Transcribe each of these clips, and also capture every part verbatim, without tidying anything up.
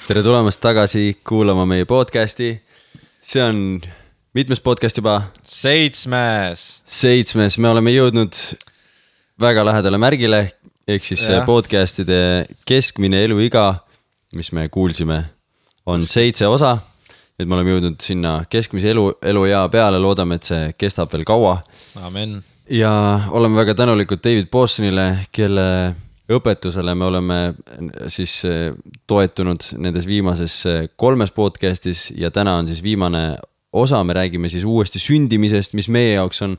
tere tulemast tagasi kuulama meie podcasti. See on mitmes podcast juba? Seitsmes. Seitsmes. Me oleme jõudnud väga lähedale märgile, ehk siis ja. Podcastide keskmine eluiga, mis me kuulsime, on seitse osa. Et me oleme jõudnud sinna keskmise elu, eluea peale, loodame, et see kestab veel kaua. Amen. Ja oleme väga tänulikud David Bostonile, kelle õpetusele me oleme siis toetunud nendes viimases kolmes podcastis ja täna on siis viimane osa, me räägime siis uuesti sündimisest, mis meie jaoks on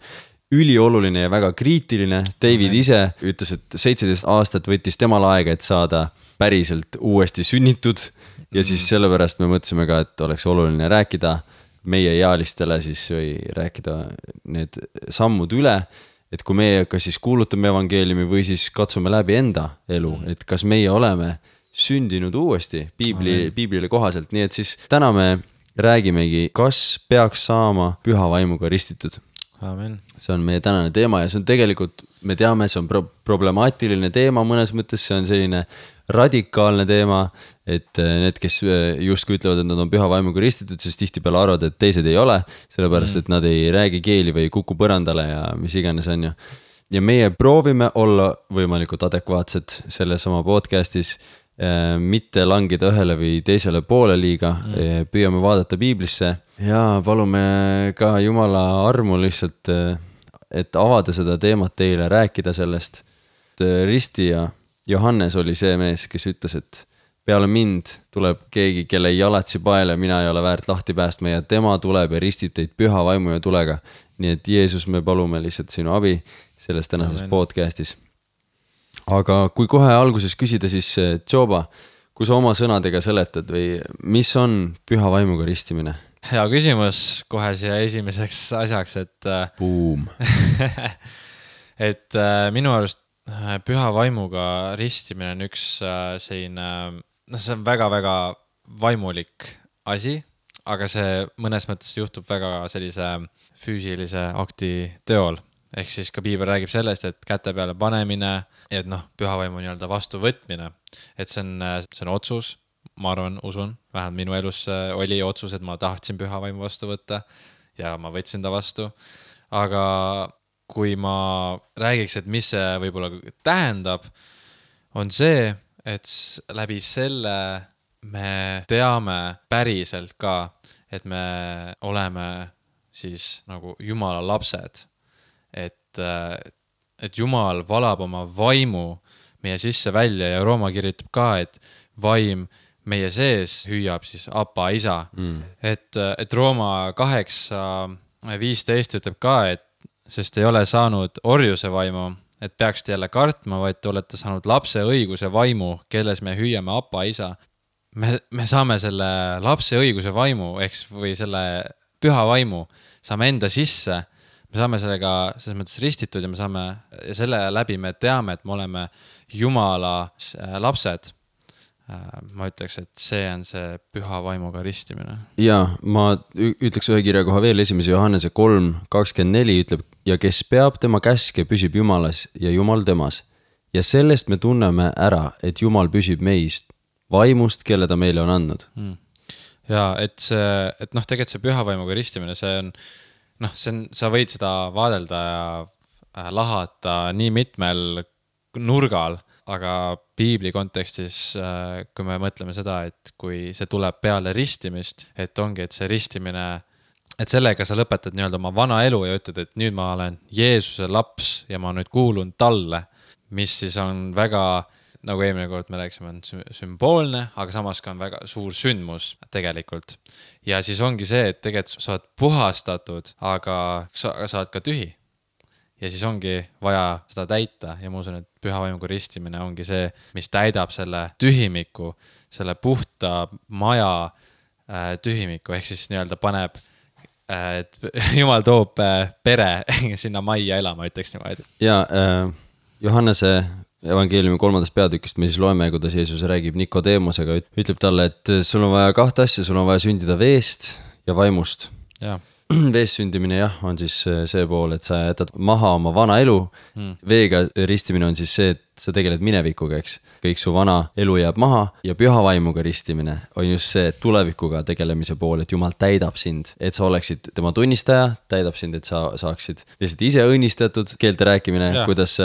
ülioluline ja väga kriitiline. David Amen. Ise ütles, et seitseteist aastat võttis temal aega, et saada päriselt uuesti sünnitud ja siis sellepärast me mõtlesime ka, et oleks oluline rääkida meie ealistele siis või rääkida need sammud üle, et kui meie kas siis kuulutame evangeeliumi või siis katsume läbi enda elu, et kas meie oleme sündinud uuesti piibli, piiblile kohaselt, nii et siis täna me räägimegi, kas peaks saama püha vaimuga ristitud. Amen. See on meie tänane teema ja see on tegelikult, me teame, see on pro- problemaatiline teema mõnes mõttes, see on selline radikaalne teema, et need, kes justkui ütlevad, et nad on püha vaimuga ristitud, siis tihtipeale arvavad, et teised ei ole, sellepärast, et nad ei räägi keeli või kuku põrandale ja mis iganes on ju. Ja meie proovime olla võimalikult adekvaatsed selles oma podcastis, mitte langida ühele või teisele poole liiga, püüame vaadata piiblisse ja palume ka Jumala armu lihtsalt, et avada seda teemat teile, rääkida sellest. Risti ja Johannes oli see mees, kes ütles, et peale mind tuleb keegi, kelle jalatsi paele mina ei ole väärt lahti päästma ja tema tuleb ja ristib teid püha vaimu ja tulega. Nii et Jeesus, me palume lihtsalt sinu abi selles tänases Amen. Podcastis. Aga kui kohe alguses küsida, siis Joba, kui sa oma sõnadega seletad või mis on püha vaimuga ristimine? Hea küsimus kohe siia esimeseks asjaks, et Boom. et minu arust püha vaimuga ristimine on üks selline, no see on väga-väga vaimulik asi, aga see mõnes mõttes juhtub väga sellise füüsilise akti teol. Ehk siis ka piibel räägib sellest, et käte peale panemine, et noh, püha vaimu nii-öelda vastu võtmine. Et see on, see on otsus, ma arvan, usun, vähemalt minu elus oli otsus, et ma tahtsin püha vaimu vastu võtta ja ma võtsin ta vastu. Aga kui ma räägiks, et mis see võib-olla tähendab, on see, et läbi selle me teame päriselt ka, et me oleme siis nagu Jumala lapsed. Et, et Jumal valab oma vaimu meie sisse välja ja Rooma kirjutab ka, et vaim meie sees hüüab siis apa isa. Mm. Et, et Rooma kaheksa viisteist ütleb ka, et sest ei ole saanud orjuse vaimu, et peaks jälle kartma, vaid te olete saanud lapse õiguse vaimu, kelles me hüüame apa isa. Me, me saame selle lapse õiguse vaimu, eks, või selle püha vaimu, saame enda sisse. Me saame sellega selles mõttes ristitud ja me saame, ja selle läbi me teame, et me oleme Jumala lapsed. Ma ütleks, et see on see püha vaimuga ristimine. Ja ma ütleks ühe kirja koha veel, esimese Johannese kolm kakskümmend neli ütleb, ja kes peab tema käske, püsib Jumalas ja Jumal temas. Ja sellest me tunneme ära, et Jumal püsib meist vaimust, kelle ta meile on andnud. Hmm. Ja et, see, et noh, tegelikult see püha vaimuga ristimine, see on noh, see on, sa võid seda vaadelda ja lahata nii mitmel nurgal, aga piibli kontekstis, kui me mõtleme seda, et kui see tuleb peale ristimist, et ongi, et see ristimine, et sellega sa lõpetad nii-öelda oma vana elu ja ütled, et nüüd ma olen Jeesuse laps ja ma nüüd kuulun talle, mis siis on väga, nagu eelmine kord me rääksime, on sümboolne, aga samas ka on väga suur sündmus tegelikult. Ja siis ongi see, et tegelikult sa oled puhastatud, aga sa, sa oled ka tühi. Ja siis ongi vaja seda täita ja ma usun, et püha vaimuga ristimine ongi see, mis täidab selle tühimiku, selle puhta maja tühimiku, ehk siis nii-öelda paneb, et Jumal toob pere sinna majja elama, ütleks niimoodi. Ja äh, Johannese evangeeliumi kolmandast peatükist me siis loeme, kuidas Jeesus räägib Nikodeemosega, ütleb talle, et sul on vaja kahte asja, sul on vaja sündida veest ja vaimust. Ja. veest sündimine jah, on siis see pool, et sa jätad maha oma vana elu mm.. veega ristimine on siis see, et sa tegeled minevikuga, eks. kõik su vana elu jääb maha ja püha vaimuga ristimine on just see tulevikuga tegelemise pool, et Jumal täidab sind, et sa oleksid tema tunnistaja, täidab sind, et sa saaksid lihtsalt ise õnnistatud, keelte rääkimine, kuidas,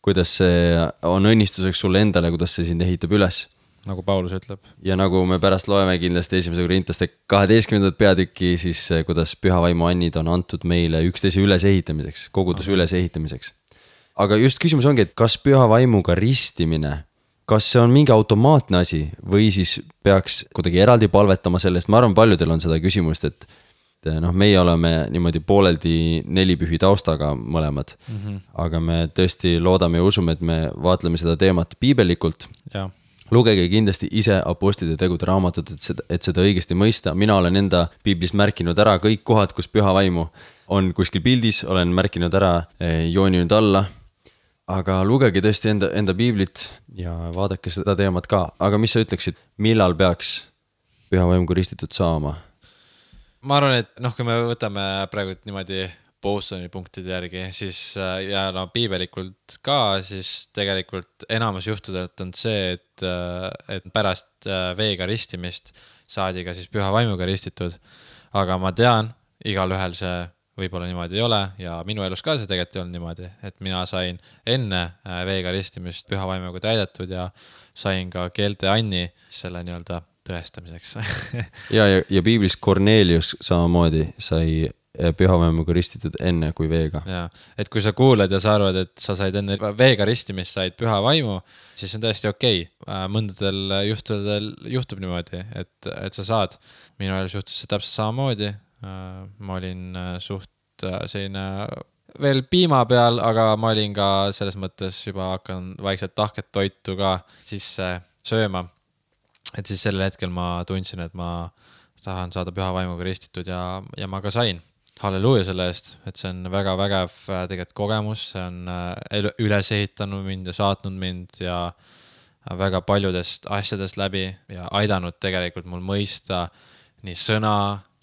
kuidas see on õnnistuseks sulle endale, kuidas see sind ehitab üles. Nagu Paulus ütleb. Ja nagu me pärast loeme kindlasti esimese korintlaste kaheteistkümnendat peatükki, siis kuidas püha vaimu annid on antud meile üksteise ülesehitamiseks, koguduse okay. ülesehitamiseks. Aga just küsimus ongi, et kas püha vaimuga ristimine, kas see on mingi automaatne asi või siis peaks kuidagi eraldi palvetama sellest, ma arvan, paljudel on seda küsimust, et noh, meie oleme niimoodi pooleldi nelipühi taustaga mõlemad, mm-hmm. aga me tõesti loodame ja usume, et me vaatleme seda teemat piibellikult. Ja. Lugege kindlasti ise apostlite tegude raamatut, et seda, et seda õigesti mõista. Mina olen enda piiblis märkinud ära kõik kohad, kus püha vaimu on kuskil pildis, olen märkinud ära, jooninud alla. Aga lugege tõesti enda, enda piiblit ja vaadake seda teemat ka. Aga mis sa ütleksid, millal peaks püha vaimuga ristitud saama? Ma arvan, et noh, kui me võtame praegu niimoodi Bosoni punktide järgi, siis ja no piibelikult ka, siis tegelikult enamus juhtudelt on see, et, et pärast veega ristimist saadi ka siis püha vaimuga ristitud. Aga ma tean, igal ühel see võib-olla niimoodi ei ole ja minu elus ka see tegelikult ei olnud niimoodi, et mina sain enne veega ristimist püha vaimuga täidetud ja sain ka keelte anni selle nii-öelda tõestamiseks. ja, ja, ja piiblis Kornelius samamoodi sai püha vaimuga ristitud enne kui veega. Ja, et kui sa kuuled ja sa arvad, et sa said enne veega ristimist, said püha vaimu, siis on täiesti okei. Mõndadel juhtudel juhtub niimoodi, et, et sa saad. Minu elus juhtus see täpselt samamoodi. Ma olin suht selline veel piima peal, aga ma olin ka selles mõttes juba hakkan vaikselt tahket toitu ka sisse sööma. Et siis sellel hetkel ma tundsin, et ma tahan saada püha vaimuga ristitud ja, ja ma ka sain. Halleluuja selle eest, et see on väga vägev tegelikult kogemus, see on üles ehitanud mind ja saatnud mind ja väga paljudest asjadest läbi ja aidanud tegelikult mul mõista nii sõna,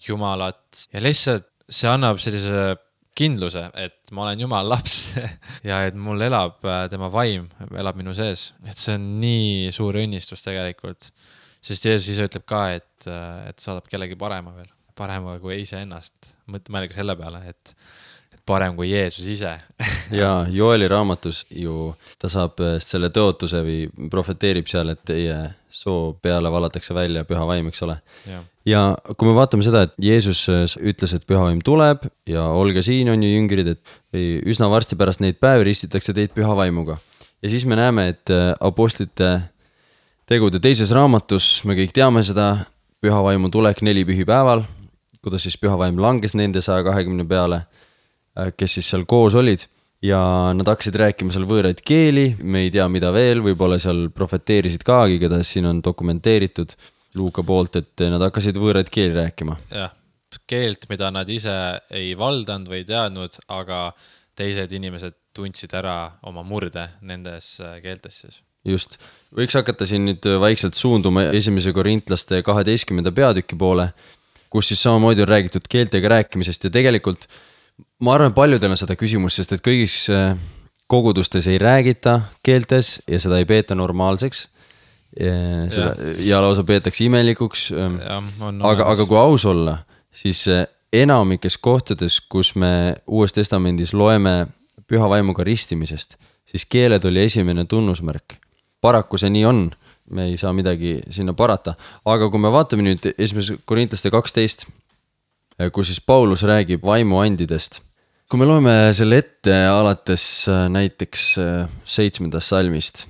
Jumalat ja lihtsalt see annab sellise kindluse, et ma olen Jumala laps ja et mul elab tema vaim, elab minu sees, et see on nii suur õnnistus tegelikult, sest Jeesus ise ütleb ka, et, et saadab kellegi parema veel. Parema kui ise ennast. Mõelge selle peale, et, et parem kui Jeesus ise. ja Joeli raamatus ju ta saab selle tõotuse või profeteerib seal, et teie soo peale valatakse välja püha vaim, eks ole. Ja. ja kui me vaatame seda, et Jeesus ütles, et püha vaim tuleb ja olge siin on ju jüngrid, et üsna varsti pärast neid päevi ristitakse teid püha vaimuga. Ja siis me näeme, et apostlite tegude teises raamatus, me kõik teame seda, püha vaimu tulek neli pühipäeval, kuidas siis püha vaim langes nende saja kahekümne peale, kes siis seal koos olid ja nad hakkasid rääkima seal võõraid keeli, me ei tea mida veel, võib-olla seal profeteerisid kaagi, keda siin on dokumenteeritud Luuka poolt, et nad hakkasid võõraid keeli rääkima. Jah, keelt, mida nad ise ei valdanud või teadnud, aga teised inimesed tundsid ära oma murde nendes keeltes siis. Just, võiks hakata siin nüüd vaikselt suunduma esimese korintlaste kaheteistkümnenda peatüki poole, kus siis samamoodi on räägitud keeltega rääkimisest ja tegelikult ma arvan, paljudel on seda küsimust, sest et kõigis kogudustes ei räägita keeltes ja seda ei peeta normaalseks ja, seda, ja. ja lausa peetakse imelikuks, ja, aga, aga kui aus olla, siis enamikes kohtades, kus me Uues Testamendis loeme püha vaimuga ristimisest, siis keeled oli esimene tunnusmärk. Paraku see nii on. Me ei saa midagi sinna parata. Aga kui me vaatame nüüd esimese korintlaste kaksteist, kus siis Paulus räägib vaimuandidest. Kui me loeme selle ette alates näiteks seitsmendast salmist.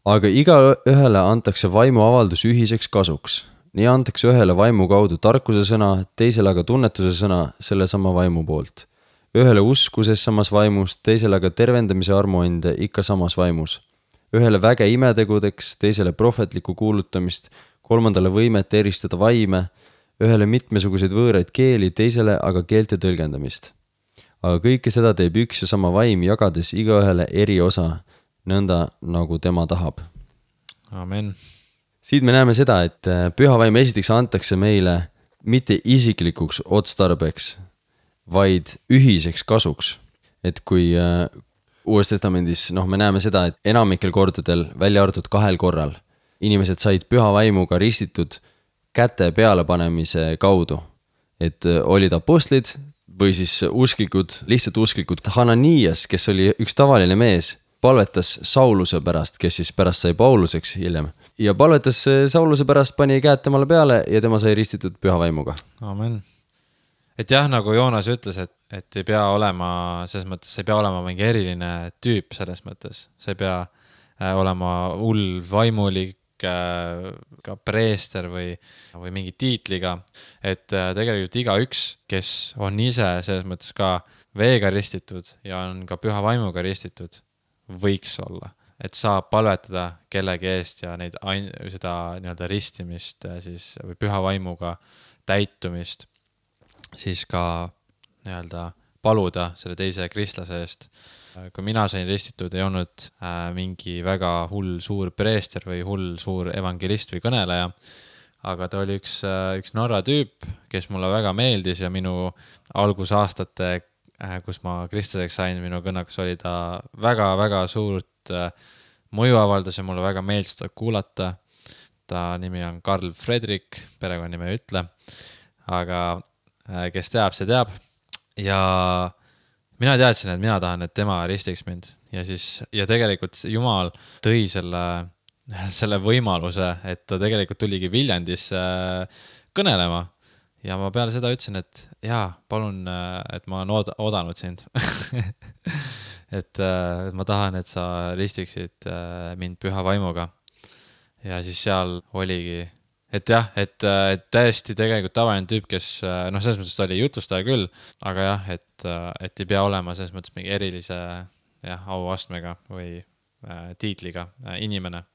Aga iga ühele antakse vaimu avaldus ühiseks kasuks. Nii antakse ühele vaimu kaudu tarkuse sõna, teisele aga tunnetuse sõna selle sama vaimu poolt. Ühele uskuses samas vaimus, teisele aga tervendamise armuande ikka samas vaimus. Ühele väge imetegudeks, teisele prohvetlikku kuulutamist, kolmandale võimet eristada vaime, ühele mitmesuguseid võõraid keeli, teisele aga keelte tõlgendamist. Aga kõike seda teeb üks ja sama vaim, jagades igaühele eri osa, nõnda nagu tema tahab. Amen. Siit me näeme seda, et püha vaim esiteks antakse meile mitte isiklikuks otstarbeks, vaid ühiseks kasuks. Et kui äh, Uues Testamendis, noh, me näeme seda, et enamikel kordadel, välja arvatud kahel korral, inimesed said püha vaimuga ristitud käte peale panemise kaudu. Et äh, olid apostlid või siis usklikud, lihtsalt usklikud. Hananias, kes oli üks tavaline mees, palvetas Sauluse pärast, kes siis pärast sai Pauluseks hiljem. Ja palvetas Sauluse pärast, pani käed temale peale ja tema sai ristitud püha vaimuga. Amen. Et jah, nagu Joonas ütles, et, et ei pea olema, selles mõttes, ei pea olema mingi eriline tüüp selles mõttes. See ei pea olema hull vaimulik, ka preester või, või mingi tiitliga. Et tegelikult iga üks, kes on ise selles mõttes ka veega ristitud ja on ka püha vaimuga ristitud, võiks olla, et saab palvetada kellegi eest ja neid ain-, seda nii-öelda ristimist siis, või püha vaimuga täitumist siis ka nii-öelda paluda selle teise kristlase eest. Kui mina sain ristitud, ei olnud äh, mingi väga hull suur preester või hull suur evangelist või kõneleja, aga ta oli üks, äh, üks Norra tüüp, kes mulle väga meeldis ja minu algusaastate kus ma kristlaseks sain, minu kõnnakas oli ta väga-väga suurt mõju avaldas ja mulle väga meeldis ta kuulata. Ta nimi on Karl Fredrik, perekonna nime ei ütle, aga kes teab, see teab. Ja mina teadsin, et mina tahan, et tema ristiks mind. Ja, siis, ja tegelikult Jumal tõi selle, selle võimaluse, et ta tegelikult tuligi Viljandis kõnelema. Ja ma peale seda ütlesin, et jaa, palun, et ma olen ooda, oodanud sind. et, et ma tahan, et sa ristiksid mind püha vaimuga. Ja siis seal oligi, et jah, et, et täiesti tegelikult tavaline tüüp, kes, noh, selles mõttes ta oli jutustaja küll, aga jah, et, et ei pea olema selles mõttes mingi erilise jah, auastmega või äh, tiitliga äh, inimene.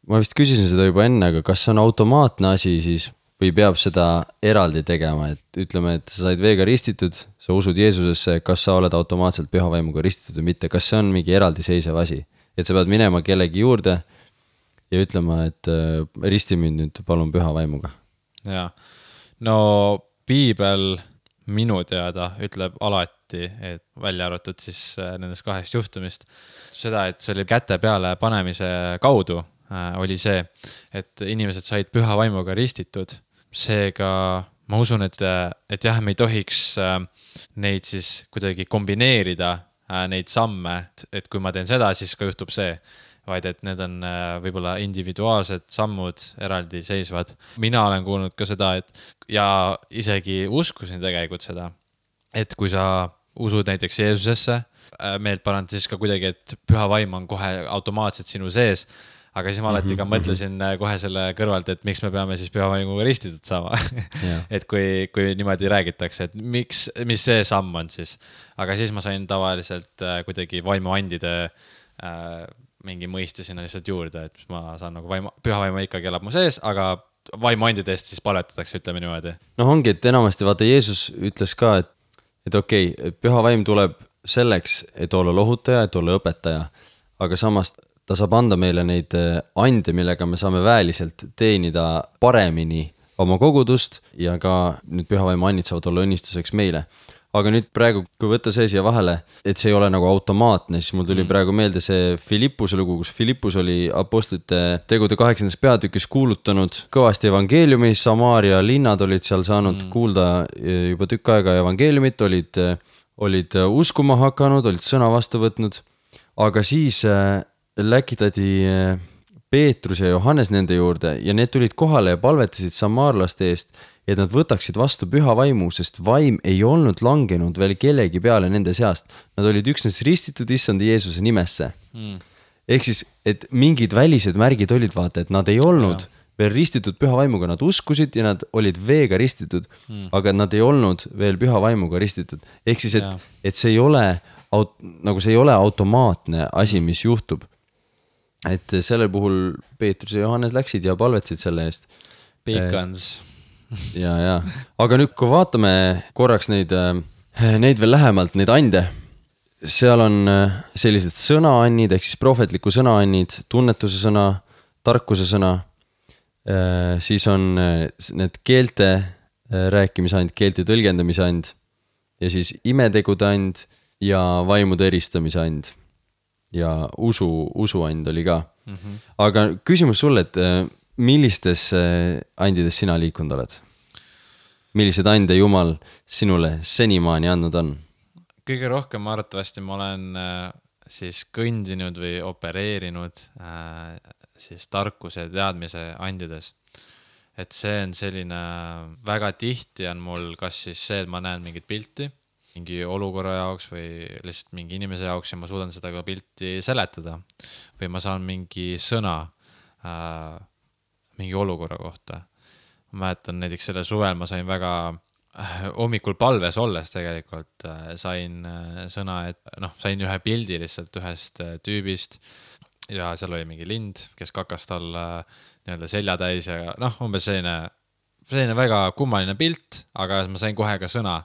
Ma vist küsisin seda juba enne, aga kas see on automaatne asi siis või peab seda eraldi tegema, et ütleme, et sa said veega ristitud, sa usud Jeesusesse, kas sa oled automaatselt püha vaimuga ristitud või mitte, kas see on mingi eraldi seisev asi, et sa pead minema kellegi juurde ja ütlema, et risti mind nüüd palun püha vaimuga. Ja, no piibel minu teada ütleb alati, et välja arvatud siis nendest kahest juhtumist, seda, et see oli käte peale panemise kaudu oli see, et inimesed said püha vaimuga ristitud. Seega ma usun, et, et jah, me ei tohiks neid siis kuidagi kombineerida, neid samme, et kui ma teen seda, siis ka juhtub see, vaid et need on võib-olla individuaalsed sammud eraldi seisvad. Mina olen kuulnud ka seda, et ja isegi uskusin tegelikult seda, et kui sa usud näiteks Jeesusesse, meelt parand siis ka kuidagi, et püha vaim on kohe automaatselt sinu sees, aga siis ma alati ka mõtlesin kohe selle kõrvalt, et miks me peame siis püha vaimuga ristitud saama. Yeah. et kui, kui niimoodi räägitakse, et miks, mis see samm on siis. Aga siis ma sain tavaliselt kuidagi vaimuandide äh, mingi mõiste sinna lihtsalt juurde, et ma saan nagu vaimu, püha vaimu ikkagi elab mu sees, aga vaimuandide eest siis paletatakse, ütleme niimoodi. No ongi, et enamasti vaata Jeesus ütles ka, et, et okei, okay, püha vaim tuleb selleks, et olla lohutaja, et olla õpetaja, aga samast ta saab anda meile neid ande, millega me saame väeliselt teenida paremini oma kogudust ja ka nüüd püha vaimu annid saavad olla õnnistuseks meile. Aga nüüd praegu, kui võtta see siia vahele, et see ei ole nagu automaatne, siis mul tuli mm. praegu meelde see Filippuse lugu, kus Filippus oli apostlite tegude kaheksandas peatükis kuulutanud kõvasti evangeeliumi, Samaaria linnad olid seal saanud mm. kuulda juba tükk aega evangeeliumit, olid, olid uskuma hakanud, olid sõna vastu võtnud, aga siis läkitati Peetrus ja Johannes nende juurde ja need tulid kohale ja palvetasid samaarlaste eest, et nad võtaksid vastu püha vaimu, sest vaim ei olnud langenud veel kellegi peale nende seast. Nad olid üksnes ristitud issanda Jeesuse nimesse. Mm. Ehk siis, et mingid välised märgid olid vaata, et nad ei olnud ja. veel ristitud püha vaimuga, nad uskusid ja nad olid veega ristitud, mm. aga nad ei olnud veel püha vaimuga ristitud. Ehk siis, et, et see ei ole, nagu see ei ole automaatne asi, mis juhtub. Et selle puhul Peetrus ja Johannes läksid ja palvetasid selle eest. Pikans. Ja, ja. Aga nüüd, kui vaatame korraks neid, neid veel lähemalt, neid ande, seal on sellised sõnaannid, ehk siis prohvetliku sõnaannid, tunnetuse sõna, tarkuse sõna, siis on need keelte rääkimise and, keelte tõlgendamise and ja siis imetegude and ja vaimude eristamise and ja usu, usuand oli ka mm-hmm. Aga küsimus sulle, et millistes andides sina liikunud oled? Millised ande Jumal sinule senimaani andnud on? Kõige rohkem arvatavasti ma olen siis kõndinud või opereerinud siis tarkuse ja teadmise andides. Et see on selline, väga tihti on mul kas siis see, et ma näen mingit pilti, mingi olukorra jaoks või lihtsalt mingi inimese jaoks ja ma suudan seda ka pilti seletada. Või ma saan mingi sõna äh, mingi olukorra kohta. Ma mäletan näiteks selle suvel ma sain väga hommikul palves olles tegelikult sain sõna, et noh, sain ühe pildi lihtsalt ühest tüübist ja seal oli mingi lind, kes kakas tal nii-öelda selja täis ja noh, umbes selline, selline väga kummaline pilt, aga ma sain kohe ka sõna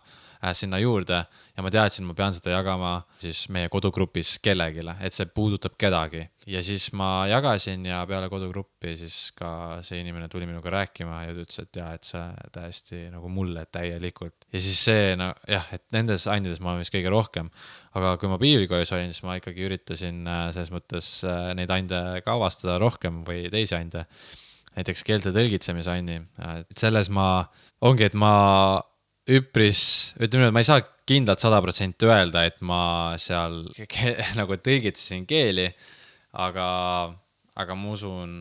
sinna juurde ja ma teadsin, ma pean seda jagama siis meie kodugrupis kellegile, et see puudutab kedagi. Ja siis ma jagasin ja peale kodugruppi siis ka see inimene tuli minuga rääkima ja ütles, et jah, et see täiesti nagu mulle täielikult. Ja siis see, no jah, et nendes andides ma olen vist kõige rohkem, aga kui ma piiblikojas olin, siis ma ikkagi üritasin selles mõttes neid ande ka avastada rohkem või teisi ande. Näiteks keelte tõlgitsemise andi. Et selles ma ongi, et ma üpris, ütleme, et ma ei saa kindlalt sada protsenti öelda, et ma seal ke- nagu tõlgitsesin keeli, aga, aga ma usun,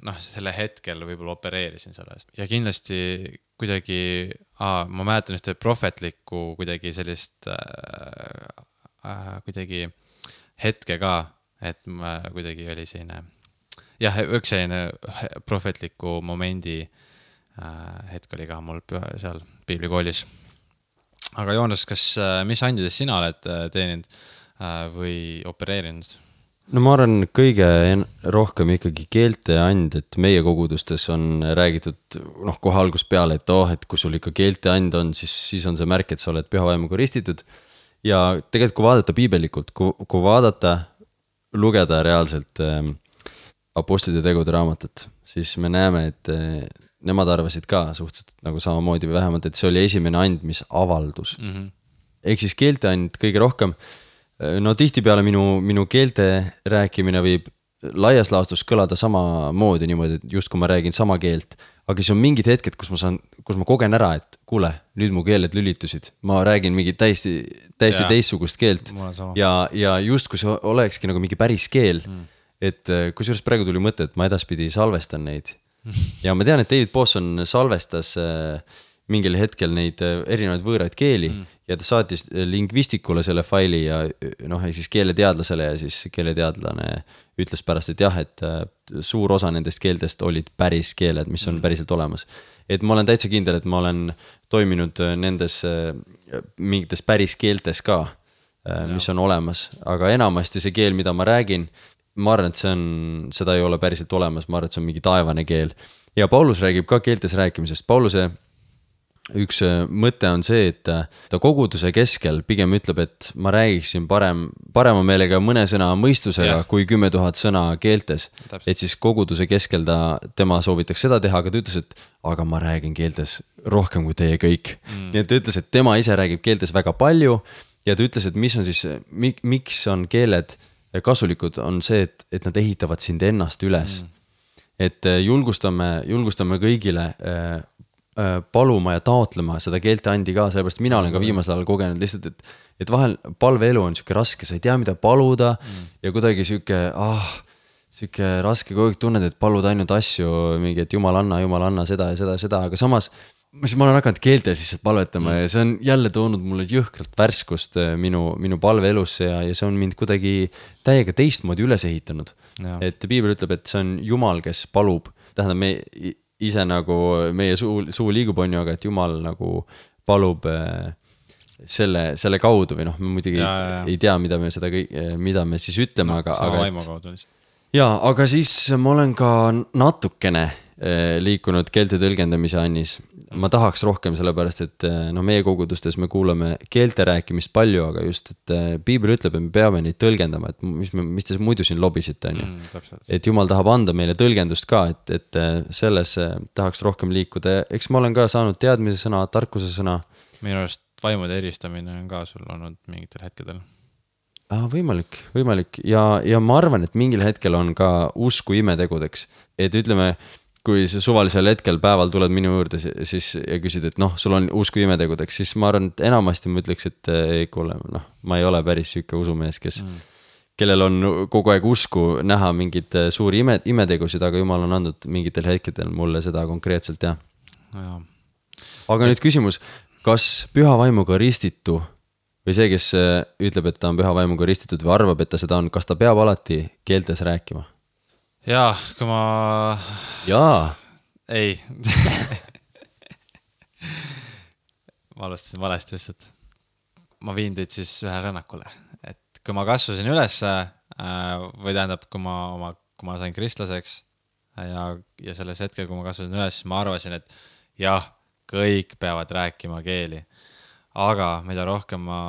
noh, selle hetkel võib-olla opereerisin selles. Ja kindlasti kuidagi, aa, ma mäletan ühte prohvetlikku kuidagi sellist äh, äh, kuidagi hetke ka, et ma kuidagi oli selline, jah, üks selline prohvetliku momendi hetk oli ka mul seal piiblikoolis. Aga Joonas, kas, mis andides sina oled teeninud või opereerinud? No ma arvan kõige rohkem ikkagi keelte and, et meie kogudustes on räägitud noh, kohe algus peale, et oh, et kui sul ikka keelte and on, siis, siis on see märk, et sa oled püha vaimuga ristitud. Ja tegelikult kui vaadata piibelikult, kui, kui vaadata, lugeda reaalselt äh, apostlite tegude raamatut, siis me näeme, et äh, nemad arvasid ka suhteliselt nagu samamoodi või vähemalt, et see oli esimene and, mis avaldus. Mm-hmm. Ehk siis keelte and kõige rohkem. No tihti peale minu, minu keelte rääkimine võib laias laastus kõlada sama moodi niimoodi, et just kui ma räägin sama keelt, aga siis on mingid hetked, kus ma saan, kus ma kogen ära, et kuule, nüüd mu keeled lülitusid. Ma räägin mingi täiesti, täiesti teistsugust keelt ja, ja just kui see olekski nagu mingi päris keel, mm. et kui sellest praegu tuli mõte, et ma edaspidi salvestan neid. Ja ma tean, et David Bosson salvestas mingil hetkel neid erinevaid võõraid keeli mm. ja ta saatis lingvistikule selle faili ja noh, siis keeleteadlasele ja siis keeleteadlane ütles pärast, et jah, et suur osa nendest keeltest olid päris keeled, mis on mm. päriselt olemas. Et ma olen täitsa kindel, et ma olen toiminud nendes mingites päris keeltes ka, mis on olemas, aga enamasti see keel, mida ma räägin, ma arvan, et see on, seda ei ole päriselt olemas, ma arvan, et see on mingi taevane keel. Ja Paulus räägib ka keeltes rääkimisest. Pauluse üks mõte on see, et ta koguduse keskel pigem ütleb, et ma räägiksin parem, parema meelega mõne sõna mõistusega yeah. kui kümme tuhat sõna keeltes. Täpselt. Et siis koguduse keskel ta, tema soovitaks seda teha, aga ta ütles, et aga ma räägin keeltes rohkem kui teie kõik. Mm. Nii et ta ütles, et tema ise räägib keeltes väga palju ja ta ütles, et mis on siis, mik, miks on keeled kasulikud on see, et, et nad ehitavad sind ennast üles. Mm. Et julgustame, julgustame kõigile äh, äh, paluma ja taotlema seda keelte andi ka, sellepärast mina olen ka viimasel ajal kogenud lihtsalt, et, et vahel palveelu on siuke raske, sa ei tea, mida paluda mm. ja kuidagi siuke, ah, siuke raske kogu aeg tunned, et palud ainult asju, mingi, et jumal anna, jumal anna seda ja seda ja seda, aga samas siis ma olen hakanud keeltes lihtsalt palvetama mm. ja see on jälle toonud mulle jõhkralt värskust minu, minu palveelusse ja, ja see on mind kuidagi täiega teistmoodi üles ehitanud. Ja. Et piibel ütleb, et see on Jumal, kes palub, tähendab me ise nagu meie suu, suu liigub on ju, aga et Jumal nagu palub selle, selle kaudu või noh, me muidugi ja, ja, ja. ei tea, mida me seda kõik, mida me siis ütleme, no, aga, aga et, ja, aga siis ma olen ka natukene liikunud keelte tõlgendamise annis, ma tahaks rohkem sellepärast, et no meie kogudustes me kuulame keelte rääkimist palju, aga just, et piibel ütleb, et me peame neid tõlgendama, et mis, me, mis te muidu siin lobisite, on ju. Mm, et Jumal tahab anda meile tõlgendust ka, et, et selles tahaks rohkem liikuda. Eks ma olen ka saanud teadmise sõna, tarkuse sõna. Minu arust vaimude eristamine on ka sul olnud mingitel hetkedel. Ah, võimalik, võimalik. Ja, ja ma arvan, et mingil hetkel on ka usku imetegudeks. Et ütleme, kui suvalisel hetkel päeval tuled minu juurde siis, ja küsid, et noh, sul on usku imetegudeks, siis ma arvan, et enamasti ma ütleks, et ei kuule, noh, ma ei ole päris süüke usumees, kes, mm. kellel on kogu aeg usku näha mingid suuri ime, imetegusid, aga Jumal on andnud mingitel hetkedel mulle seda konkreetselt, jah. Ja. Aga nüüd küsimus, kas püha vaimuga ristitu või see, kes ütleb, et ta on püha vaimuga ristitud või arvab, et ta seda on, kas ta peab alati keeltes rääkima? Jaa, kui ma... Jaa. Ei. ma alustasin valesti lihtsalt. Ma viin teid siis ühe rännakule. Et kui ma kasvasin üles, või tähendab, kui ma, oma, kui ma sain kristlaseks ja, ja selles hetkel, kui ma kasvasin üles, siis ma arvasin, et jah, kõik peavad rääkima keeli. Aga mida rohkem ma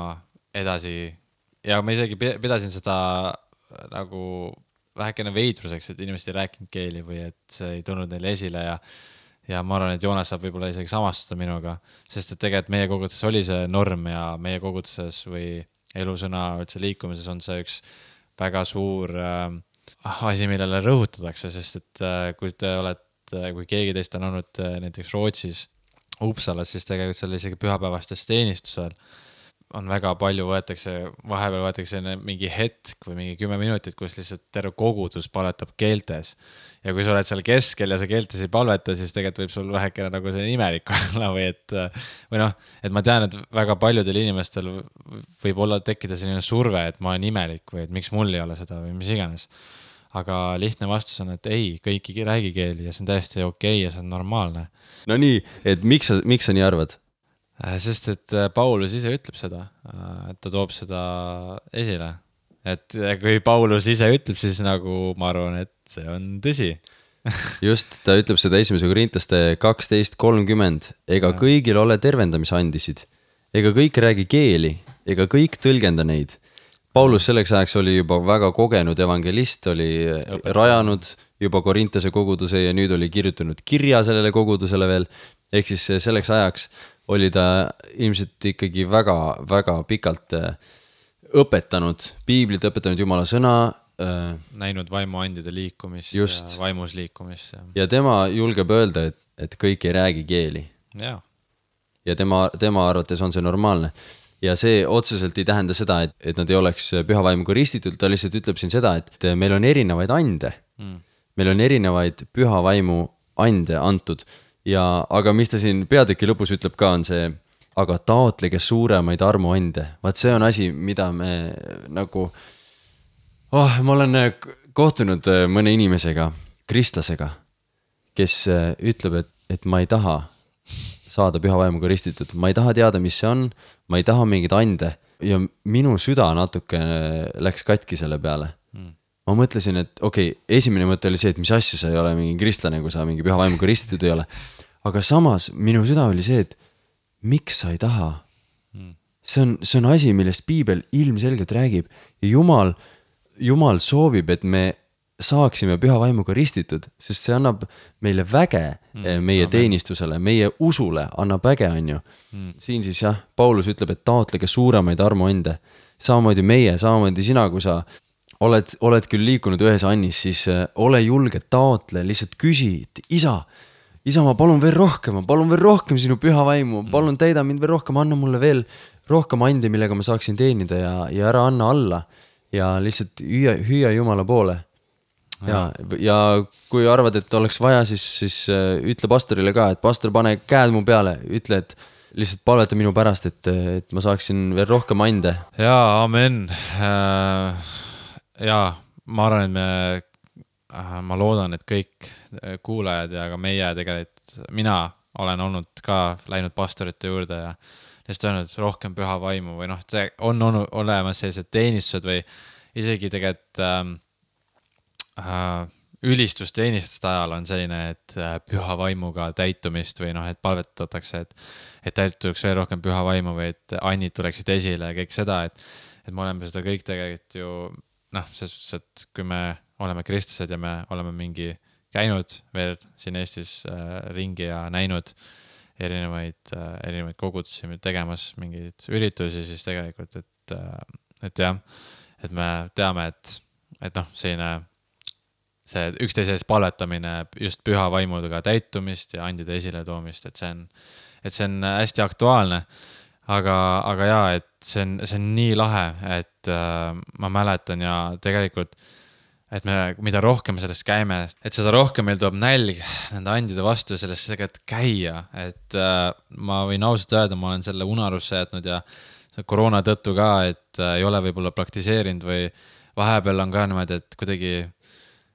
edasi... Ja ma isegi pidasin seda nagu... vähekene veidruseks, et inimesed ei rääkinud keeli või et see ei tulnud neile esile ja, ja ma arvan, et Joonas saab võib-olla isegi samastuda minuga, sest et tegelikult meie koguduses oli see norm ja meie koguduses või elusõna üldse liikumises on see üks väga suur äh, asi, millele rõhutatakse, sest et äh, kui te olete, kui keegi teist on olnud äh, näiteks Rootsis Uppsalas, siis tegelikult seal isegi pühapäevastes teenistusel on väga palju võetakse, vahepeal võetakse mingi hetk või mingi kümme minutit, kus lihtsalt terve kogudus palvetab keeltes. Ja kui sa oled seal keskel ja sa keeltes ei palveta, siis tegelikult võib sul vähekene nagu see imelik olla või et, või noh, et ma tean, et väga paljudel inimestel võib olla tekkida selline surve, et ma olen imelik või et miks mul ei ole seda või mis iganes. Aga lihtne vastus on, et ei, kõik ei räägi keeli ja see on täiesti okei ja see on normaalne. No nii, et miks sa, miks sa nii arvad? Sest et Paulus ise ütleb seda, et ta toob seda esile. Et kui Paulus ise ütleb, siis nagu ma arvan, et see on tõsi. Just, ta ütleb seda esimese Korintaste kaksteist kolmkümmend. Ega ja. Kõigil ole tervendamisandisid. Ega kõik räägi keeli. Ega kõik tõlgenda neid. Paulus selleks ajaks oli juba väga kogenud evangelist, oli Õpet. Rajanud juba Korintase koguduse ja nüüd oli kirjutanud kirja sellele kogudusele veel. Ehk siis selleks ajaks oli ta ilmselt ikkagi väga, väga pikalt õpetanud, piiblit õpetanud Jumala sõna. Näinud vaimuandide liikumist just. Ja vaimus liikumist. Ja, ja tema julgeb öelda, et, et kõik ei räägi keeli. Ja, ja tema, tema arvates on see normaalne. Ja see otseselt ei tähenda seda, et, et nad ei oleks püha vaimuga ristitud, ta lihtsalt ütleb siin seda, et meil on erinevaid ande. Mm. Meil on erinevaid püha vaimu ande antud. Ja, aga mis ta siin peatüki lõpus ütleb ka on see, aga taotlege suuremaid armuande. Vaat see on asi, mida me nagu, oh, ma olen kohtunud mõne inimesega, kristlasega, kes ütleb, et, et ma ei taha saada püha vaimuga ristitud. Ma ei taha teada, mis see on, ma ei taha mingid ande ja minu süda natuke läks katki selle peale. Mm. Ma mõtlesin, et okei, okay, esimene mõte oli see, et mis asja sa ei ole mingi kristlane, kui sa mingi püha vaimuga ristitud ei ole. Aga samas minu süda oli see, et miks sa ei taha? See on, see on asi, millest piibel ilmselgelt räägib. Ja Jumal, Jumal soovib, et me saaksime püha vaimuga ristitud, sest see annab meile väge mm, meie amen. Teenistusele, meie usule annab väge, on ju. Mm. Siin siis jah, Paulus ütleb, et taotlege suuremaid armuande. Samamoodi meie, samamoodi sina, kui sa oled, oled küll liikunud ühes annis, siis ole julge, taotle, lihtsalt küsi, et isa, isa, ma palun veel rohkem, ma palun veel rohkem sinu püha vaimu, palun täida mind veel rohkem, anna mulle veel rohkem ande, millega ma saaksin teenida ja, ja ära anna alla ja lihtsalt hüüa, hüüa Jumala poole. Ja, ja kui arvad, et oleks vaja, siis, siis ütle pastorile ka, et pastor, pane käed mu peale, ütle, et lihtsalt palveta minu pärast, et, et ma saaksin veel rohkem ande. Jaa, amen. Äh... Jaa, ma arvan, et me, ma loodan, et kõik kuulajad ja ka meie tegelikult, mina olen olnud ka läinud pastorite juurde ja lihtsalt öelnud rohkem püha vaimu või noh, on olnud olemas sellised teenistused või isegi tegelikult äh, äh, ülistusteenistuste ajal on selline, et püha vaimuga täitumist või noh, et palvetatakse, et, et täituks veel rohkem püha vaimu või et annid tuleksid esile ja kõik seda, et, et me oleme seda kõik tegelikult ju noh, selles suhtes, et kui me oleme kristlased ja me oleme mingi käinud veel siin Eestis äh, ringi ja näinud erinevaid, äh, erinevaid kogudusi tegemas mingeid üritusi, siis tegelikult, et, äh, et jah, et me teame, et, et noh, selline see üksteise ees palvetamine just püha vaimudega täitumist ja andide esiletoomist, et see on, et see on hästi aktuaalne, aga, aga jaa, et see on, see on nii lahe, et äh, ma mäletan ja tegelikult, et me, mida rohkem sellest käime, et seda rohkem meil tuleb nälg nende andide vastu ja sellest tegelikult käia, et äh, ma võin ausalt öelda, ma olen selle unarusse jätnud ja koroona tõttu ka, et äh, ei ole võib-olla praktiseerinud või vahepeal on ka niimoodi, et kuidagi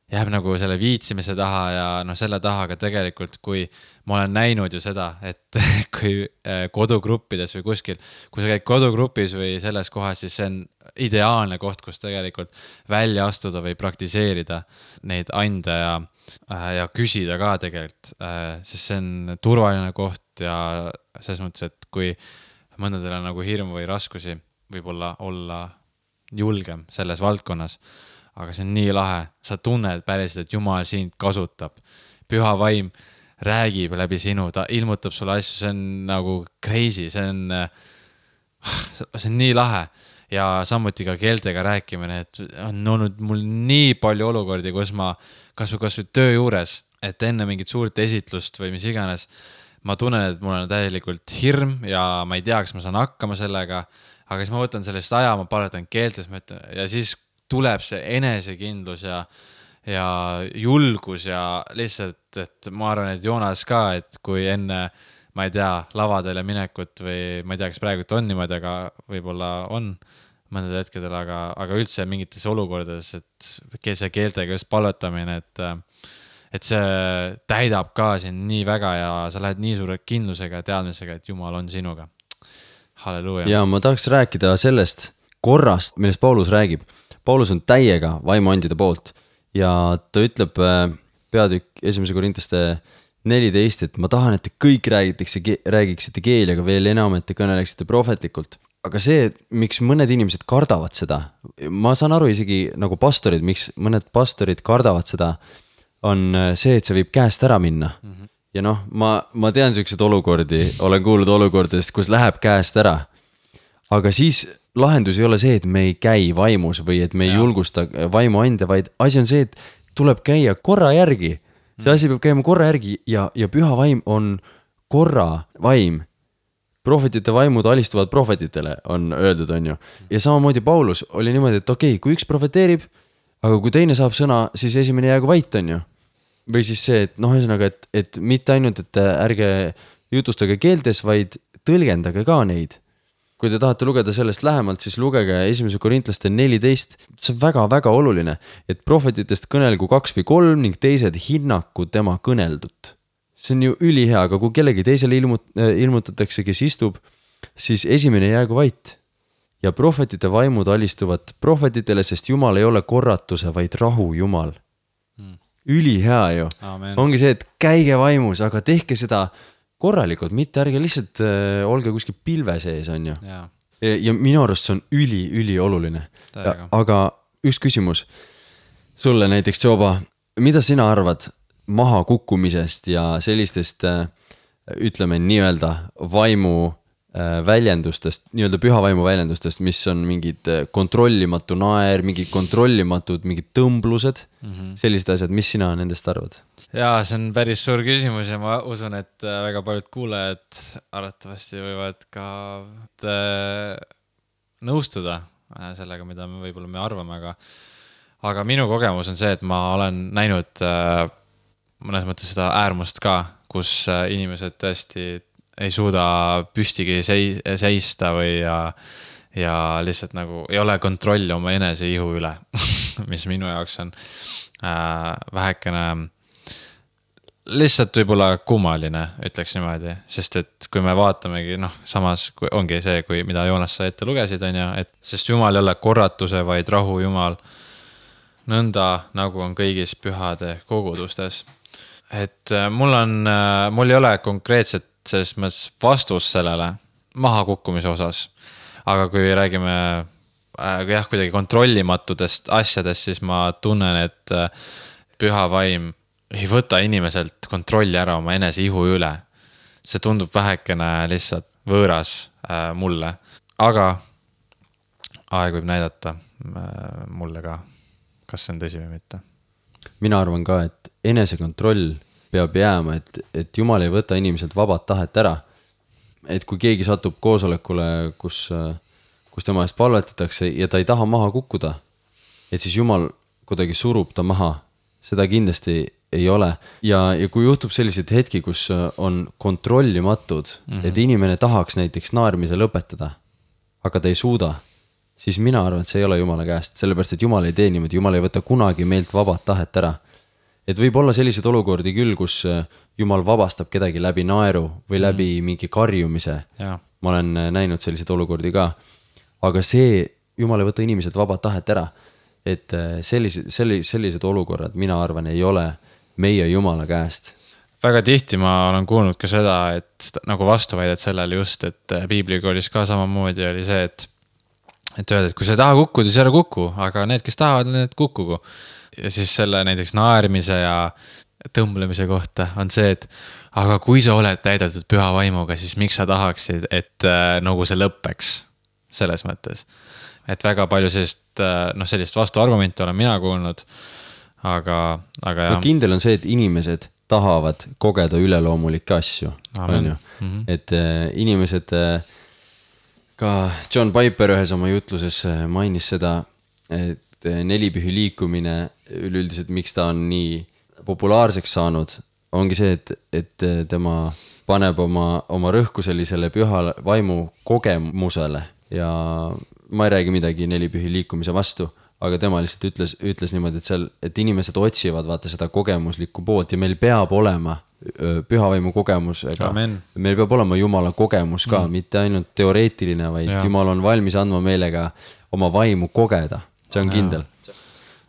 jääb nagu selle viitsimise taha ja noh, selle taha, aga tegelikult, kui ma olen näinud ju seda, et kui kodugruppides või kuskil, kui sa käid kodugrupis või selles kohas, siis see on ideaalne koht, kus tegelikult välja astuda või praktiseerida neid ande ja, ja küsida ka tegelikult, sest see on turvaline koht ja selles mõttes, et kui mõndadel on nagu hirm või raskusi, võib-olla olla julgem selles valdkonnas, aga see on nii lahe, sa tunned päriselt, et Jumal sind kasutab. Püha vaim räägib läbi sinu, ta ilmutab sulle asju, see on nagu crazy, see on, see on nii lahe. Ja samuti ka keeltega rääkimine, et on olnud mul nii palju olukordi, kus ma kas või, kas või töö juures, et enne mingit suurt esitlust või mis iganes, ma tunnen, et mul on täielikult hirm ja ma ei tea, kas ma saan hakkama sellega, aga siis ma võtan sellest aja, ma palvetan keeltes ja siis tuleb see enesekindlus ja, ja julgus ja lihtsalt, et ma arvan, et Joonas ka, et kui enne, ma ei tea, lavadele minekut või ma ei tea, kas praegu on niimoodi, aga võib-olla on mõned hetkedel, aga, aga üldse mingites olukordades, et see keeltega just palvetamine, et, et see täidab ka siin nii väga ja sa lähed nii suure kindlusega ja teadmisega, et Jumal on sinuga. Halleluuja. Ja ma tahaks rääkida sellest korrast, millest Paulus räägib. Paulus on täiega vaimuandide poolt ja ta ütleb peatükk esimese Korintlaste neliteist, et ma tahan, et te kõik räägitakse, räägiksite keeli, aga veel enam, et te kõneleksite prohvetlikult. Aga see, miks mõned inimesed kardavad seda, ma saan aru isegi nagu pastorid, miks mõned pastorid kardavad seda, on see, et see võib käest ära minna. Mm-hmm. Ja noh, ma, ma tean sellised olukordi, olen kuulnud olukordadest, kus läheb käest ära. Aga siis lahendus ei ole see, et me ei käi vaimus või et me ei ja. julgusta vaimu ande, vaid asi on see, et tuleb käia korra järgi. See asi peab käima korra järgi ja, ja püha vaim on korra vaim. Prohvetite vaimud alistuvad prohvetitele, on öeldud, on ju. Ja samamoodi Paulus oli niimoodi, et okei, okay, kui üks prohveteerib, aga kui teine saab sõna, siis esimene jäägu vait, on ju. Või siis see, et noh, ühesõnaga, et, et mitte ainult, et ärge jutustage keeltes, vaid tõlgendage ka neid. Kui te tahate lugeda sellest lähemalt, siis lugege esimese Korintlaste neliteist. See on väga-väga oluline, et prohvetitest kõnelgu kaks või kolm ning teised hinnaku tema kõneldut. See on ju ülihea, aga kui kellegi teisele ilmut- ilmutatakse, kes istub, siis esimene jäägu vait. Ja prohvetite vaimud alistuvad prohvetitele, sest Jumal ei ole korratuse, vaid rahu Jumal. Hmm. Ülihea ju. Amen. Ongi see, et käige vaimus, aga tehke seda korralikult, mitte ärge lihtsalt äh, olge kuskil pilve sees, on ju. Ja, ja minu arust see on üli, üli oluline. Aga üks küsimus sulle näiteks, Joba, mida sina arvad maha kukkumisest ja sellistest, äh, ütleme nii-öelda vaimu äh, väljendustest, nii-öelda püha vaimu väljendustest, mis on mingid kontrollimatu naer, mingid kontrollimatud, mingid tõmblused, mm-hmm. sellised asjad, mis sina nendest arvad? Jaa, see on päris suur küsimus ja ma usun, et väga paljud kuulajad arvatavasti võivad ka nõustuda sellega, mida me võib-olla me arvame, aga, aga minu kogemus on see, et ma olen näinud mõnes mõttes seda äärmust ka, kus inimesed tõesti ei suuda püstigi seista või ja, ja lihtsalt nagu ei ole kontrolli oma enese ihu üle, mis minu jaoks on äh, vähekene lihtsalt võib-olla kummaline, ütleks niimoodi, sest et kui me vaatamegi, noh, samas kui ongi see, kui, mida Joonas sa ette lugesid, on ju, et sest Jumal ei ole korratuse, vaid rahu Jumal. nõnda nagu on kõigis pühade kogudustes. Et mul on, mul ei ole konkreetset selles mõttes vastus sellele mahakukkumise osas. Aga kui räägime jah, kuidagi kontrollimatudest asjadest, siis ma tunnen, et püha vaim ei võta inimeselt kontrolli ära oma enese ihu üle. See tundub vähekene lihtsalt võõras mulle. Aga aeg võib näidata mulle ka, kas see on tõsi või mitte. Mina arvan ka, et enesekontroll peab jääma, et, et Jumal ei võta inimeselt vabad tahet ära. Et kui keegi satub koosolekule, kus, kus tema eest palvetatakse ja ta ei taha maha kukkuda, et siis Jumal kuidagi surub ta maha. Seda kindlasti ei ole. Ja, ja kui juhtub sellised hetki, kus on kontrollimatud, mm-hmm. et inimene tahaks näiteks naermise lõpetada, aga ta ei suuda, siis mina arvan, et see ei ole Jumala käest, sellepärast, et Jumal ei tee niimoodi, Jumal ei võta kunagi meilt vabad tahet ära. Et võib olla sellised olukordi küll, kus Jumal vabastab kedagi läbi naeru või läbi mm. mingi karjumise. Ja. Ma olen näinud sellised olukordi ka. Aga see, Jumal ei võta inimesed vabad tahet ära. Et sellised, sellised olukorrad, mina arvan, ei ole meie Jumala käest. Väga tihti ma olen kuulnud ka seda, et nagu vastuväidet sellele just, et piiblikoolis ka samamoodi oli see, et et öelda, et kui sa ei taha kukkuda, siis ära kuku, aga need, kes tahavad, need kukkugu. Ja siis selle näiteks naermise ja tõmblemise kohta on see, et aga kui sa oled täidetud püha vaimuga, siis miks sa tahaksid, et äh, nagu see lõppeks selles mõttes. Et väga palju sellist, äh, no sellist vastuargumenti olen mina kuulnud, aga, aga jah. No kindel on see, et inimesed tahavad kogeda üleloomulikke asju. On ju? Mm-hmm. Et äh, inimesed... Äh, Ka John Piper ühes oma jutluses mainis seda, et nelipühi liikumine üleüldiselt, miks ta on nii populaarseks saanud, ongi see, et, et tema paneb oma, oma rõhku sellisele püha vaimu kogemusele ja ma ei räägi midagi nelipühi liikumise vastu, aga tema lihtsalt ütles, ütles niimoodi, et, seal, et inimesed otsivad vaata seda kogemuslikku poolt ja meil peab olema pühavaimu kogemusega. Amen. Meil peab olema Jumala kogemus ka, mm. mitte ainult teoreetiline, vaid ja. Jumal on valmis andma meelega oma vaimu kogeda. See on kindel. Ja.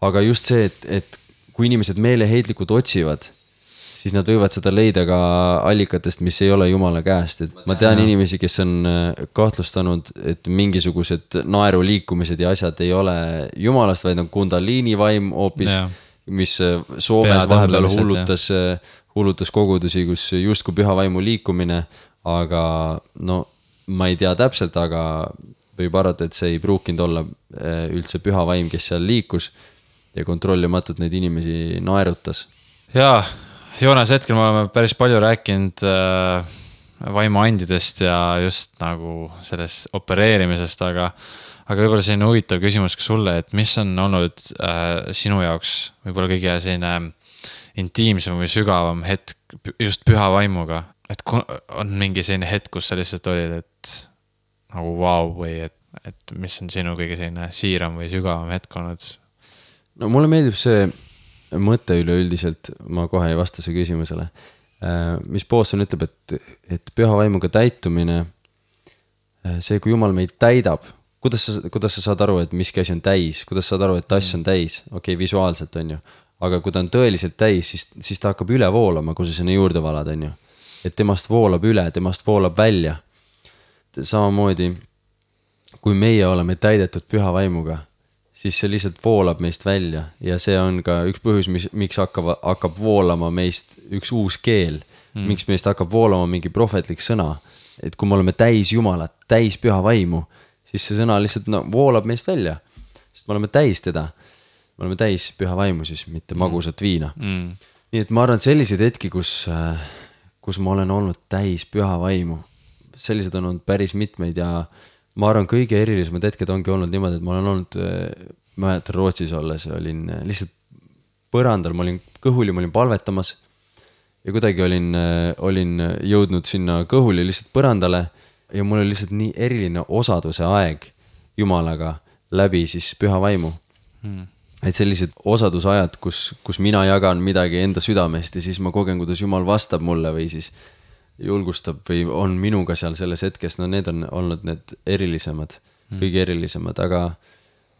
Aga just see, et, et kui inimesed meeleheitlikud otsivad, siis nad võivad seda leida ka allikatest, mis ei ole Jumala käest. Et ma tean ja. Inimesi, kes on kahtlustanud, et mingisugused naeru liikumised ja asjad ei ole Jumalast, vaid on kundaliini vaim hoopis, ja. Mis Soomes vahepeal hullutas, hullutas kogudusi, kus justkui püha vaimu liikumine, aga no ma ei tea täpselt, aga võib arvata, et see ei pruukinud olla üldse püha vaim, kes seal liikus ja kontrollimatult neid inimesi naerutas. Jaa, Joonas, hetkel me oleme päris palju rääkinud äh, vaimuandidest ja just nagu sellest opereerimisest, aga Aga võib-olla selline huvitav küsimus ka sulle, et mis on olnud äh, sinu jaoks võib-olla kõige selline intiimsem või sügavam hetk just püha vaimuga? Et on mingi selline hetk, kus sa lihtsalt olid, et nagu vau, või et, et mis on sinu kõige selline siiram või sügavam hetk olnud? No mulle meeldib see mõte üleüldiselt, ma kohe ei vasta see küsimusele. Äh, mis Poosson ütleb, et, et püha vaimuga täitumine, see kui Jumal meid täidab, Kuidas sa, kuidas sa saad aru, et miski asi on täis, kuidas sa saad aru, et tass on täis, okei, okay, visuaalselt on ju, aga kui ta on tõeliselt täis, siis, siis ta hakkab üle voolama, kui sa sinna juurde valad, on ju, et temast voolab üle, temast voolab välja. Samamoodi, kui meie oleme täidetud püha vaimuga, siis see lihtsalt voolab meist välja ja see on ka üks põhjus, mis, miks hakkab, hakkab voolama meist üks uus keel, mm. miks meist hakkab voolama mingi prohvetlik sõna, et kui me oleme täis Jumalat, täis püha vaimu, siis see sõna lihtsalt no, voolab meist välja, sest me oleme täis teda. Me oleme täis püha vaimu siis, mitte magusat viina. Mm. Nii et ma arvan, et sellised hetki, kus, kus ma olen olnud täis püha vaimu, sellised on olnud päris mitmeid ja ma arvan, kõige erilisemad hetked ongi olnud niimoodi, et ma olen olnud, ma mäletan Rootsis olles, olin lihtsalt põrandal, ma olin kõhuli, ma olin palvetamas ja kuidagi olin, olin jõudnud sinna kõhuli lihtsalt põrandale ja mul oli lihtsalt nii eriline osaduse aeg Jumalaga läbi siis püha vaimu. Hmm. Et sellised osadusajad, kus, kus mina jagan midagi enda südamest ja siis ma kogen, kuidas Jumal vastab mulle või siis julgustab või on minuga seal selles hetkes, no need on olnud need erilisemad, hmm. kõige erilisemad, aga,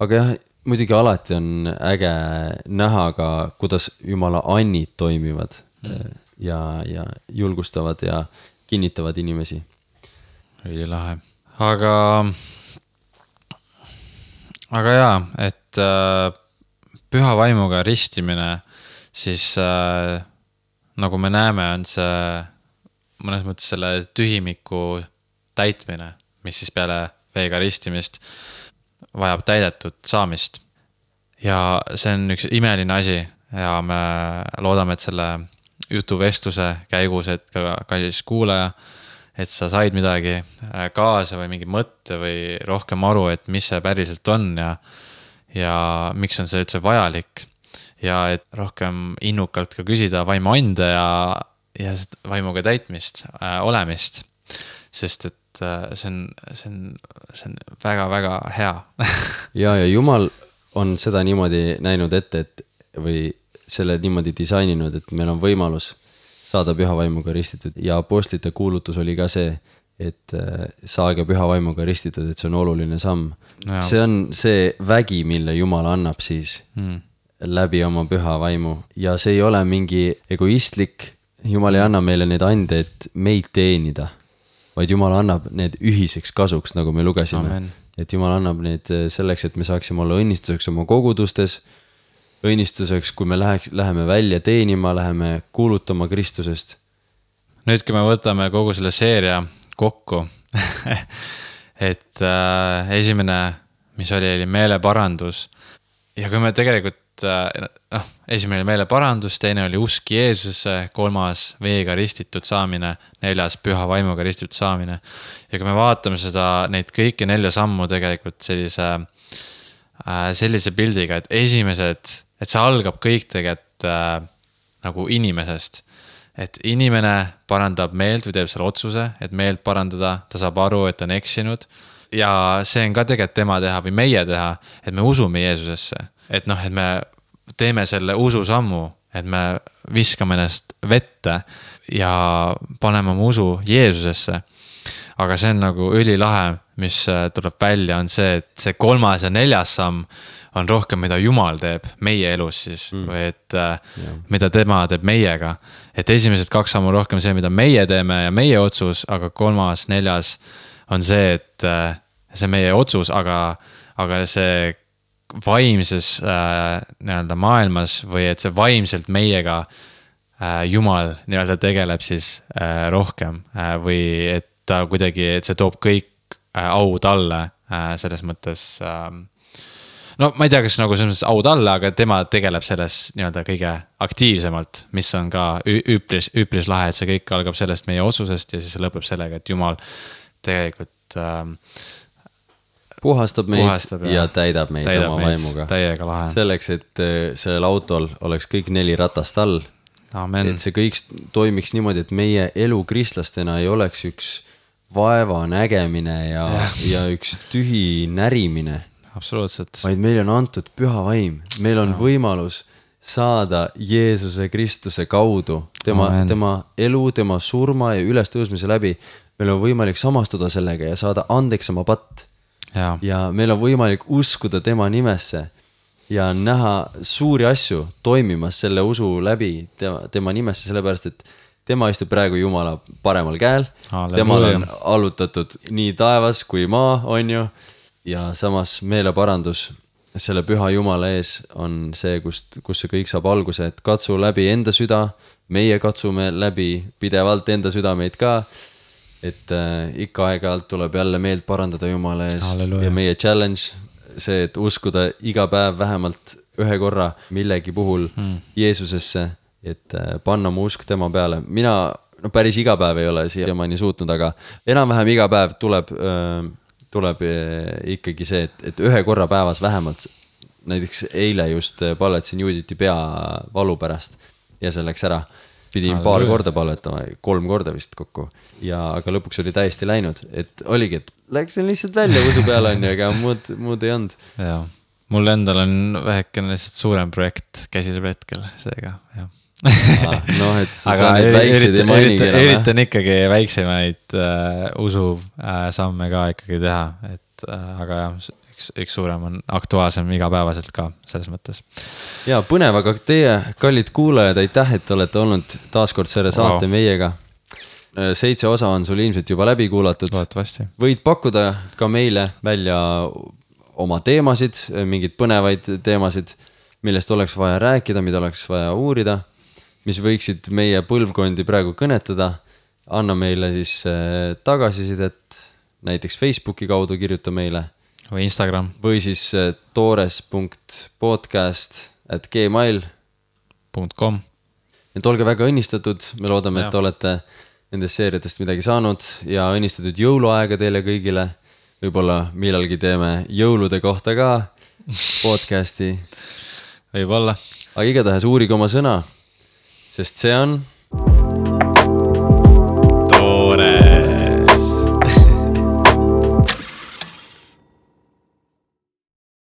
aga jah, muidugi alati on äge näha ka, kuidas Jumala annid toimivad mm. ja, ja julgustavad ja kinnitavad inimesi. Oli lahe. Aga, aga jaa, et äh, püha vaimuga ristimine, siis äh, nagu me näeme, on see mõnes mõttes selle tühimiku täitmine, mis siis peale veega ristimist vajab täidetud saamist. Ja see on üks imeline asi ja me loodame, et selle jutuvestluse käigus, et ka kallis kuulaja, et sa said midagi kaasa või mingi mõtte või rohkem aru, et mis see päriselt on ja, ja miks on see üldse vajalik. Ja et rohkem innukalt ka küsida vaimu ande ja, ja vaimuga täitmist, äh, olemist. Sest et äh, see on, see on, see on väga-väga hea. ja, ja Jumal on seda niimoodi näinud ette, et või selle niimoodi disaininud, et meil on võimalus saada püha vaimuga ristitud ja apostlite kuulutus oli ka see, et saage püha vaimuga ristitud, et see on oluline samm. Ja. See on see vägi, mille Jumal annab siis hmm. läbi oma püha vaimu ja see ei ole mingi egoistlik, Jumal ei anna meile need andeid meid teenida, vaid Jumal annab need ühiseks kasuks, nagu me lugesime. Amen. Et Jumal annab need selleks, et me saaksime olla õnnistuseks oma kogudustes, õnnistuseks, kui me läheks, läheme välja teenima, läheme kuulutama Kristusest. Nüüd, kui me võtame kogu selle seeria kokku, et äh, esimene, mis oli, oli meeleparandus ja kui me tegelikult äh, noh, esimene oli meeleparandus, teine oli usk Jeesusesse, kolmas veega ristitud saamine, neljas püha vaimuga ristitud saamine ja kui me vaatame seda, neid kõiki nelja sammu tegelikult sellise, äh, sellise pildiga, et esimesed et see algab kõik tegelikult äh, nagu inimesest. Et inimene parandab meelt või teeb selle otsuse, et meelt parandada, ta saab aru, et ta on eksinud. Ja see on ka tegelikult tema teha või meie teha, et me usume Jeesusesse. Et noh, et me teeme selle usu sammu, et me viskame ennast vette ja paneme oma usu Jeesusesse. Aga see on nagu ülilahe, mis tuleb välja, on see, et see kolmas ja neljas samm on rohkem, mida Jumal teeb meie elus siis, mm. või et yeah. mida tema teeb meiega. Et esimesed kaks sammu rohkem see, mida meie teeme ja meie otsus, aga kolmas, neljas on see, et see meie otsus, aga, aga see vaimses äh, nii-öelda maailmas või et see vaimselt meiega äh, Jumal nii-öelda tegeleb siis äh, rohkem äh, või et ta kuidagi, et see toob kõik äh, au talle äh, selles mõttes äh, no ma ei tea, kas nagu selles au talle, aga tema tegeleb selles nii-öelda kõige aktiivsemalt, mis on ka üpris, üpris lahe, et see kõik algab sellest meie otsusest ja siis lõpeb sellega, et Jumal tegelikult ähm, puhastab meid puhastab ja, ja täidab meid täidab oma meid, vaimuga. Täiega lahe. Selleks, et sellel autol oleks kõik neli ratast all. Amen. Et see kõik toimiks niimoodi, et meie elu kristlastena ei oleks üks vaeva nägemine ja, ja. ja üks tühi närimine. Absoluutselt. Vaid meil on antud püha vaim. Meil on no. võimalus saada Jeesuse Kristuse kaudu. Tema, tema elu, tema surma ja ülestõusmise läbi. Meil on võimalik samastuda sellega ja saada andeks oma patt. Ja. ja meil on võimalik uskuda tema nimesse ja näha suuri asju toimimas selle usu läbi tema, tema nimesse, sellepärast et tema istub praegu Jumala paremal käel. Temal on allutatud nii taevas kui maa, on ju. Ja samas meeleparandus selle püha Jumala ees on see, kust, kus see kõik saab alguse, et katsu läbi enda süda, meie katsume läbi pidevalt enda südameid ka, et äh, ikka aeg-ajalt tuleb jälle meelt parandada Jumala ees. Halleluja. Ja meie challenge, see, et uskuda iga päev vähemalt ühe korra millegi puhul hmm. Jeesusesse, et äh, panna mu usk tema peale. Mina no päris iga päev ei ole siiamaani suutnud, aga enam-vähem iga päev tuleb... Äh, tuleb ikkagi see, et, et ühe korra päevas vähemalt, näiteks eile just palvetasin Juditi pea valu pärast ja see läks ära. Pidin paar korda palvetama, kolm korda vist kokku. Ja, aga lõpuks oli täiesti läinud, et oligi, et läksin lihtsalt välja usu peale, on ju, aga muud, muud ei olnud. Ja, mul endal on vähekene lihtsalt suurem projekt käsil hetkel, seega, jah. Ah, no, et sa aga need väikseid ei mainigi enam. Üritan ikkagi väiksemaid uh, usu uh, samme ka ikkagi teha, et uh, aga jah, üks, üks suurem on aktuaalsem igapäevaselt ka selles mõttes. Ja põnev, aga teie kallid kuulajad, aitäh, et olete olnud taaskord selle saate wow. meiega. Seitse osa on sul ilmselt juba läbi kuulatud. Võid pakkuda ka meile välja oma teemasid, mingid põnevaid teemasid, millest oleks vaja rääkida, mida oleks vaja uurida, mis võiksid meie põlvkondi praegu kõnetada. Anna meile siis tagasisidet, näiteks Facebooki kaudu kirjuta meile. Või Instagram. Või siis toores punkt podcast at gmail punkt com. Et olge väga õnnistatud, me loodame, ja. Et olete nendest seeriatest midagi saanud ja õnnistatud jõuluaega teile kõigile. Võib-olla millalgi teeme jõulude kohta ka podcasti. Võib-olla. Aga igatahes uurige oma sõna, sest see on